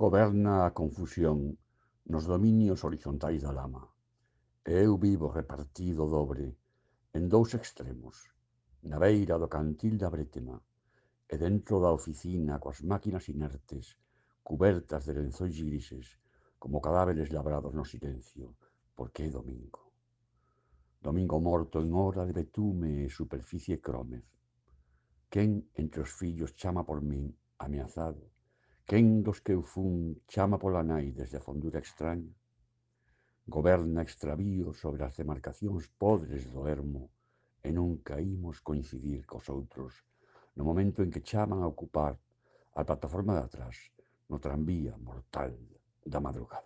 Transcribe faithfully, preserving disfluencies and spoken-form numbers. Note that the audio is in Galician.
Goberna a confusión nos dominios horizontais da lama, e eu vivo repartido dobre en dous extremos, na beira do cantil da brétema e dentro da oficina coas máquinas inertes, cubertas de lenzóis grises, como cadáveres labrados no silencio, porque é domingo. Domingo morto en hora de betume e superficie crómez. Quen entre os fillos chama por min, ameazado? Quen dos que eu fun chama pola nai desde a fondura extraña? Goberna extravío sobre as demarcacións podres do ermo e nunca imos coincidir cos outros no momento en que chaman a ocupar a plataforma de atrás no tranvía mortal da madrugada.